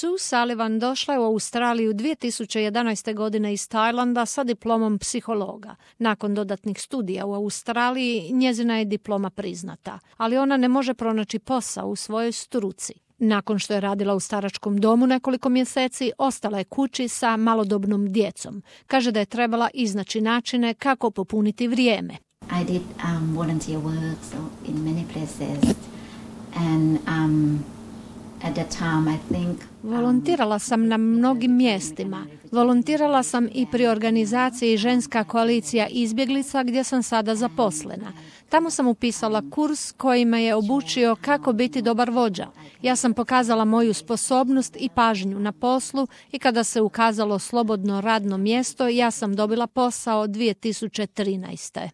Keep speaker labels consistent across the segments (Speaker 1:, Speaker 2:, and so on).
Speaker 1: Sue Sullivan došla je u Australiju 2011. godine iz Tajlanda sa diplomom psihologa. Nakon dodatnih studija u Australiji njezina je diploma priznata, ali ona ne može pronaći posao u svojoj struci. Nakon što je radila u staračkom domu nekoliko mjeseci, ostala je kući sa malodobnom djecom. Kaže da je trebala iznaći načine kako popuniti vrijeme.
Speaker 2: I did volunteer work in many places and at that time I think
Speaker 1: volontirala sam na mnogim mjestima. Volontirala sam i pri organizaciji Ženska koalicija izbjeglica gdje sam sada zaposlena. Tamo sam upisala kurs koji me je obučio kako biti dobar vođa. Ja sam pokazala moju sposobnost i pažnju na poslu i kada se ukazalo slobodno radno mjesto, ja sam dobila posao 2013.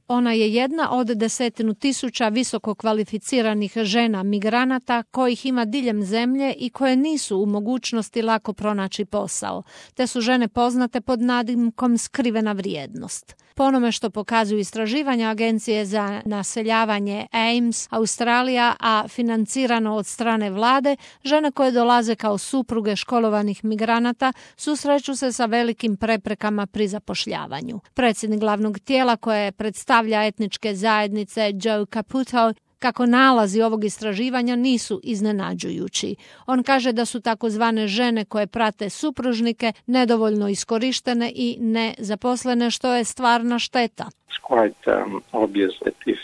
Speaker 1: Ona je jedna od 10.000 visoko kvalificiranih žena migranata kojih ima diljem zemlje i koje nisu u mogućnosti lako pronaći posao. Te su žene poznate pod nadimkom skrivena vrijednost. Po onome što pokazuju istraživanja Agencije za naseljavanje AIMS Australija, a financirano od strane vlade, žene koje dolaze kao supruge školovanih migranata susreću se sa velikim preprekama pri zapošljavanju. Predsjednik glavnog tijela koje predstavlja etničke zajednice Joe Caputo kako nalazi ovog istraživanja nisu iznenađujući. On kaže da su takozvane žene koje prate supružnike nedovoljno iskorištene i nezaposlene, što je stvarna šteta.
Speaker 3: It's quite obvious that if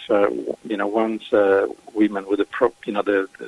Speaker 3: once women with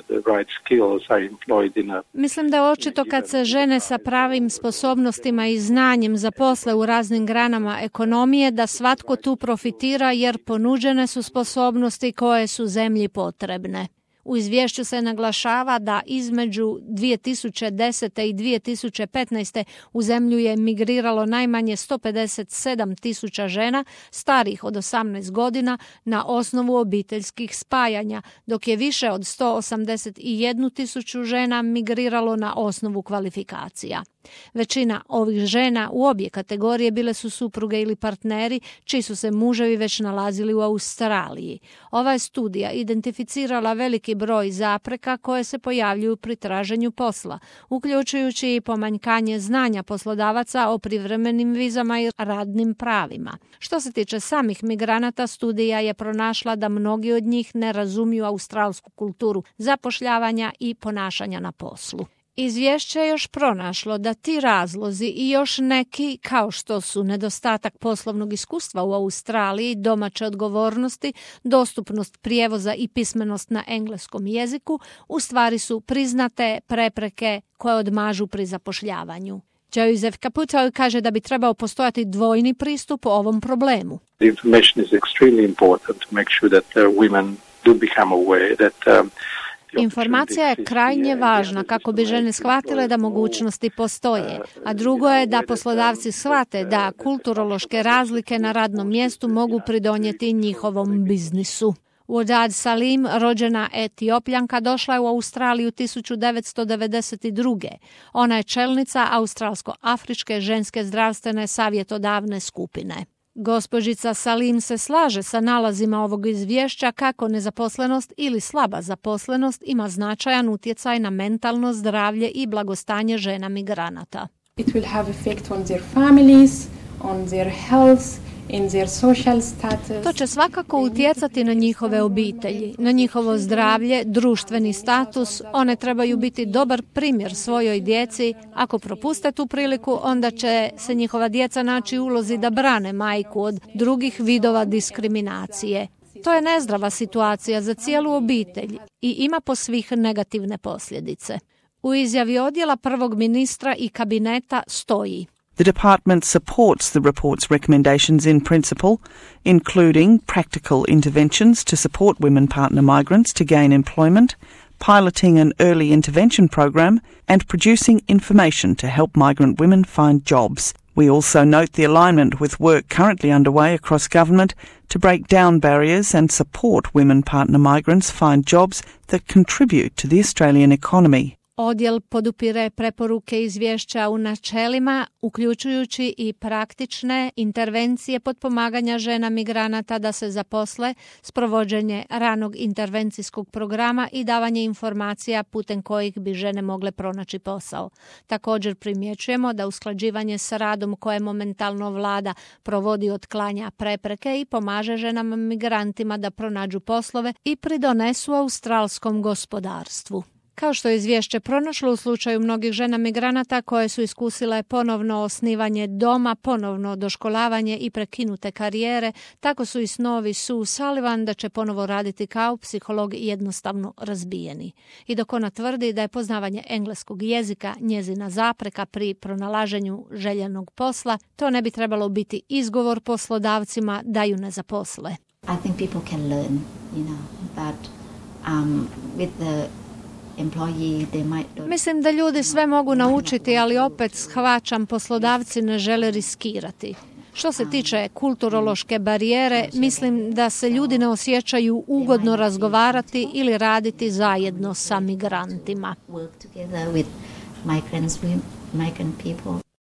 Speaker 3: the right skills are employed in a...
Speaker 1: Mislim da je očito kad se žene sa pravim sposobnostima i znanjem zaposle u raznim granama ekonomije da svatko tu profitira jer ponuđene su sposobnosti koje su zemlji potrebne. U izvješću se naglašava da između 2010. i 2015. u zemlju je migriralo najmanje 157.000 žena starih od 18 godina na osnovu obiteljskih spajanja, dok je više od 181.000 žena migriralo na osnovu kvalifikacija. Većina ovih žena u obje kategorije bile su supruge ili partneri čiji su se muževi već nalazili u Australiji. Ova je studija identificirala veliki broj zapreka koje se pojavljuju pri traženju posla, uključujući i pomanjkanje znanja poslodavaca o privremenim vizama i radnim pravima. Što se tiče samih migranata, studija je pronašla da mnogi od njih ne razumiju australsku kulturu zapošljavanja i ponašanja na poslu. Izvješće je još pronašlo da ti razlozi i još neki, kao što su nedostatak poslovnog iskustva u Australiji, domaće odgovornosti, dostupnost prijevoza i pismenost na engleskom jeziku, u stvari su priznate prepreke koje odmažu pri zapošljavanju. Joseph Caputo kaže da bi trebao postojati dvojni pristup ovom problemu.
Speaker 3: The information is extremely important to make sure that women do become aware that
Speaker 1: Informacija je krajnje važna kako bi žene shvatile da mogućnosti postoje, a drugo je da poslodavci shvate da kulturološke razlike na radnom mjestu mogu pridonijeti njihovom biznisu. Wadad Salim, rođena Etiopljanka, došla je u Australiju 1992. Ona je čelnica Australsko-afričke ženske zdravstvene savjetodavne skupine. Gospođica Salim se slaže sa nalazima ovog izvješća kako nezaposlenost ili slaba zaposlenost ima značajan utjecaj na mentalno zdravlje i blagostanje žena migranata.
Speaker 4: It will have effect on their families, on their health, in their social status.
Speaker 1: To će svakako utjecati na njihove obitelji, na njihovo zdravlje, društveni status. One trebaju biti dobar primjer svojoj djeci. Ako propuste tu priliku, onda će se njihova djeca naći u ulozi da brane majku od drugih vidova diskriminacije. To je nezdrava situacija za cijelu obitelj i ima po svih negativne posljedice. U izjavi odjela prvog ministra i kabineta stoji:
Speaker 5: The department supports the report's recommendations in principle, including practical interventions to support women partner migrants to gain employment, piloting an early intervention program, and producing information to help migrant women find jobs. We also note the alignment with work currently underway across government to break down barriers and support women partner migrants find jobs that contribute to the Australian economy.
Speaker 1: Odjel podupire preporuke izvješća u načelima, uključujući i praktične intervencije potpomaganja žena migranata da se zaposle, sprovođenje ranog intervencijskog programa i davanje informacija putem kojih bi žene mogle pronaći posao. Također primjećujemo da usklađivanje sa radom koje momentalno vlada provodi otklanja prepreke i pomaže ženama migrantima da pronađu poslove i pridonesu australskom gospodarstvu. Kao što je izvješće pronašlo u slučaju mnogih žena migranata koje su iskusile ponovno osnivanje doma, ponovno doškolavanje i prekinute karijere, tako su i snovi Sue Sullivan da će ponovo raditi kao psiholog jednostavno razbijeni. I dok ona tvrdi da je poznavanje engleskog jezika njezina zapreka pri pronalaženju željenog posla, to ne bi trebalo biti izgovor poslodavcima da ju ne zaposle.
Speaker 2: I think people can learn, but with the
Speaker 1: Mislim da ljudi sve mogu naučiti, ali opet shvaćam, poslodavci ne žele riskirati. Što se tiče kulturološke barijere, mislim da se ljudi ne osjećaju ugodno razgovarati ili raditi zajedno sa migrantima.
Speaker 2: Migrant people.